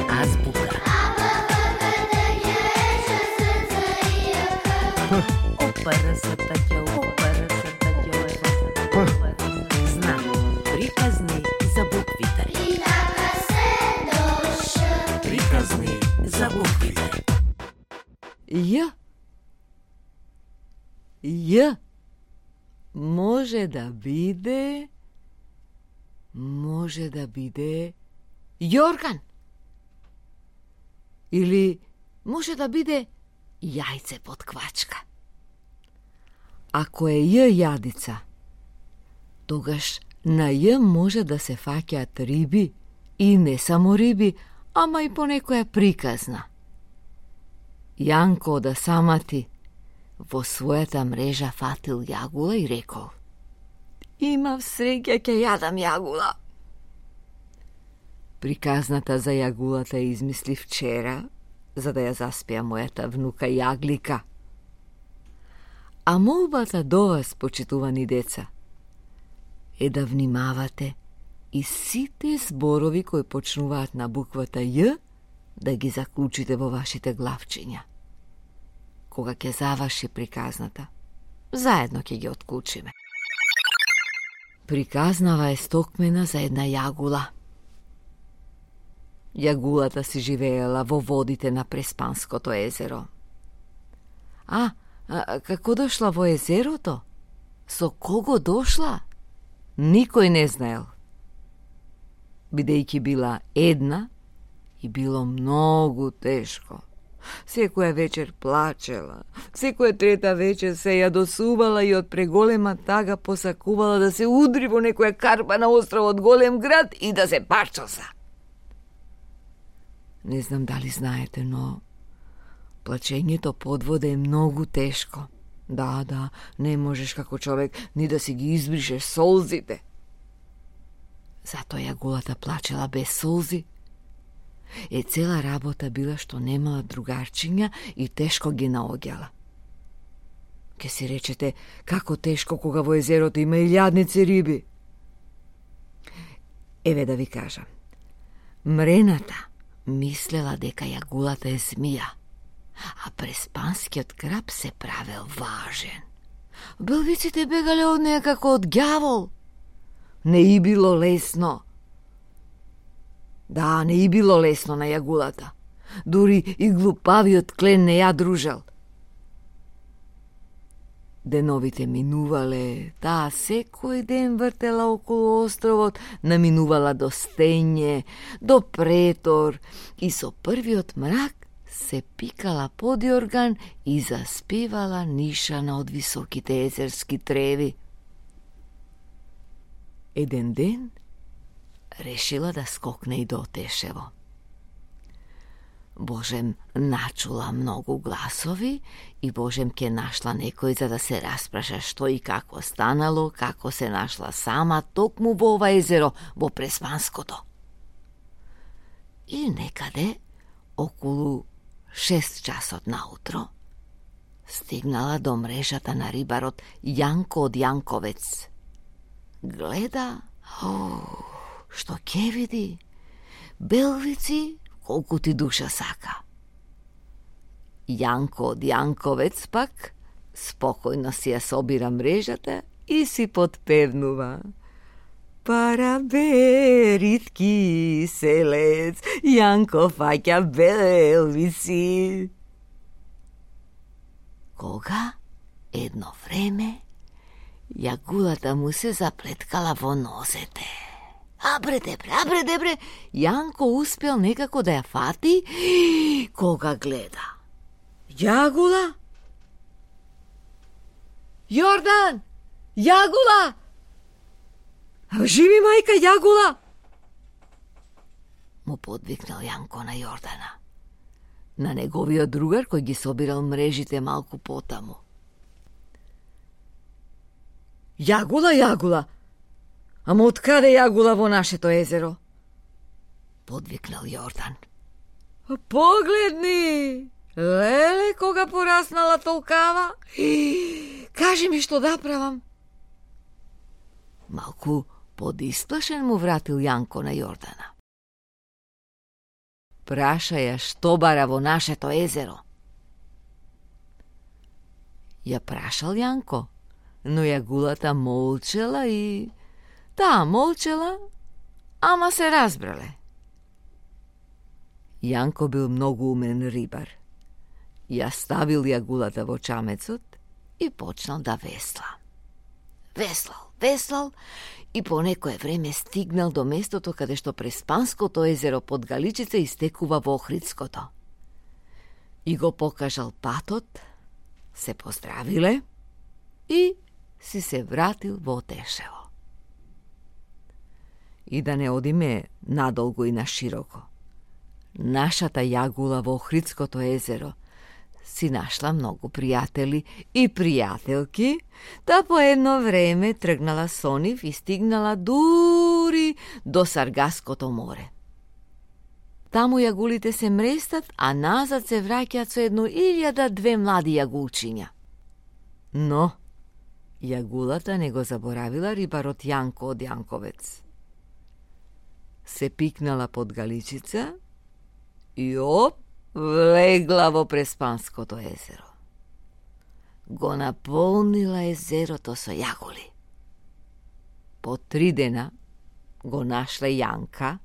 Азбука. Знак. Приказни за буквите. Приказни за буквите. Ј. Ј. Може да биде јорган. Или може да биде јајце под квачка. Ако е Ј јадица, тогаш на Ј може да се фаќаат риби и не само риби, ама и по некоја приказна. Јанко од Асамати во својата мрежа фатил јагула и рекол: имав среќа, ќе јадам јагула. Приказната за јагулата ја измисли вчера, за да ја заспија мојата внука Јаглика. А молбата до вас, почитувани деца, е да внимавате и сите зборови кои почнуваат на буквата Ј да ги заклучите во вашите главчиња. Кога ќе заврши приказната, заедно ќе ги отклучиме. Приказнава е стокмена за една јагула. Јагулата си живеела во водите на Преспанското езеро. Како дошла во езерото? Со кого дошла? Никој не знаел. Бидејќи била една и било многу тешко. Секоја вечер плачела, секоја трета вечер се јадосувала и од преголема тага посакувала да се удри во некоја карпа на островот Голем град и да се парчоса. Не знам дали знаете, но плачењето под вода е многу тешко. Да, не можеш како човек ни да си ги избришеш солзите. Затоа јагулата плачела без солзи. Цела работа била што немала другарчиња и тешко ги наоѓала. Ке си речете, како тешко кога во езерото има илјадници риби. Еве да ви кажам. Мрената мислела дека јагулата е змија, а Преспанскиот краб се правел важен. Белвиците бегале од неја како од ѓавол. Не и било лесно. Да, не и било лесно на јагулата. Дури и глупавиот клен не ја дружел. Деновите минувале, таа секој ден вртела околу островот, наминувала до Стење, до Претор и со првиот мрак се пикала под јорган и заспевала нишана од високите езерски треви. Еден ден решила да скокне и до Тешево. Божем начула многу гласови и Божем ке нашла некој за да се распраша што и како станало, како се нашла сама токму во ова езеро, во Преспанското. И некаде, околу 6 часот наутро, стигнала до мрежата на рибарот Јанко од Јанковец. Гледа, што ке види? Белвици колку ти душа сака. Јанко од Јанковец пак спокојно си ја собира мрежата и си подпевнува. Парабе, ритки селец, Јанко фаќа белвици. Кога едно време јагулата му се заплеткала во нозете. Абре дебре, Јанко успел некако да ја фати, кога гледа. Јагула? Јордан! Јагула! Живи мајка Јагула! Му подвикнал Јанко на Јордана, на неговиот другар кој ги собирал мрежите малку потаму. Јагула! Ама откаде Јагула во нашето езеро? Подвикнал Јордан. Погледни! Леле, кога пораснала толкава? Кажи ми што да правам. Малку Подисплашен му вратил Јанко на Јордана. Праша ја што бара во нашето езеро. Ја прашал Јанко, но јагулата молчела и... Таа молчела, ама се разбрале. Јанко бил многу умен рибар. Ја ставил јагулата во чамецот и почнал да весла. Веслал и по некое време стигнал до местото каде што Преспанското езеро под Галичица истекува во Охридското. И го покажал патот, се поздравиле и си се вратил во Тешево. И да не одиме надолго и на широко. Нашата јагула во Охридското езеро си нашла многу пријатели и пријателки, та по едно време тргнала со нив и стигнала дури до Саргаското море. Таму јагулите се мрестат, а назад се враќаат со 1002 млади јагулчиња. Но јагулата не го заборавила рибарот Јанко од Јанковец. Се пикнала под Галичица и влегла во Преспанското езеро. Го наполнила езерото со јагули. По 3 дена го нашле Јанка,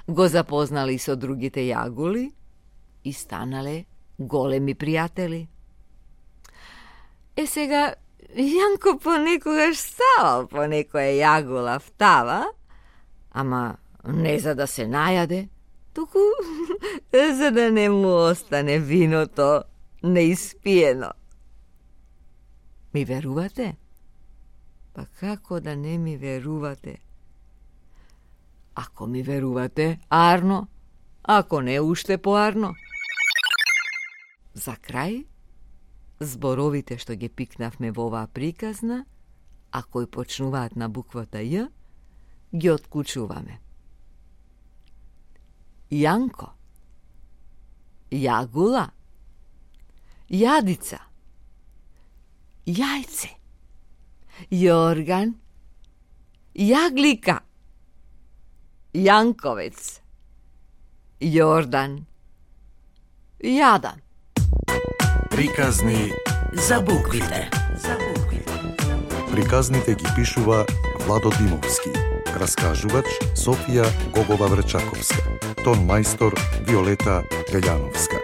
го запознали со другите јагули и станале големи пријатели. Сега Јанко понекогаш ставал по некоја јагула втава, ама не за да се најаде, туку за да не му остане виното неиспиено. Ми верувате? Па како да не ми верувате? Ако ми верувате, арно, ако не, уште поарно. За крај, зборовите што ги пикнавме во оваа приказна, а кои почнуваат на буквата Ј, ги отклучуваме. Јанко, јагула, јадица, јајце, јорган, јаглика, Јанковец, Јордан, јадан. Приказни за буквите. Приказните ги пишува Владо Димовски. Раскажувач Софија Гогова Врчаковска. Тон мајстор Виолета Велјановска.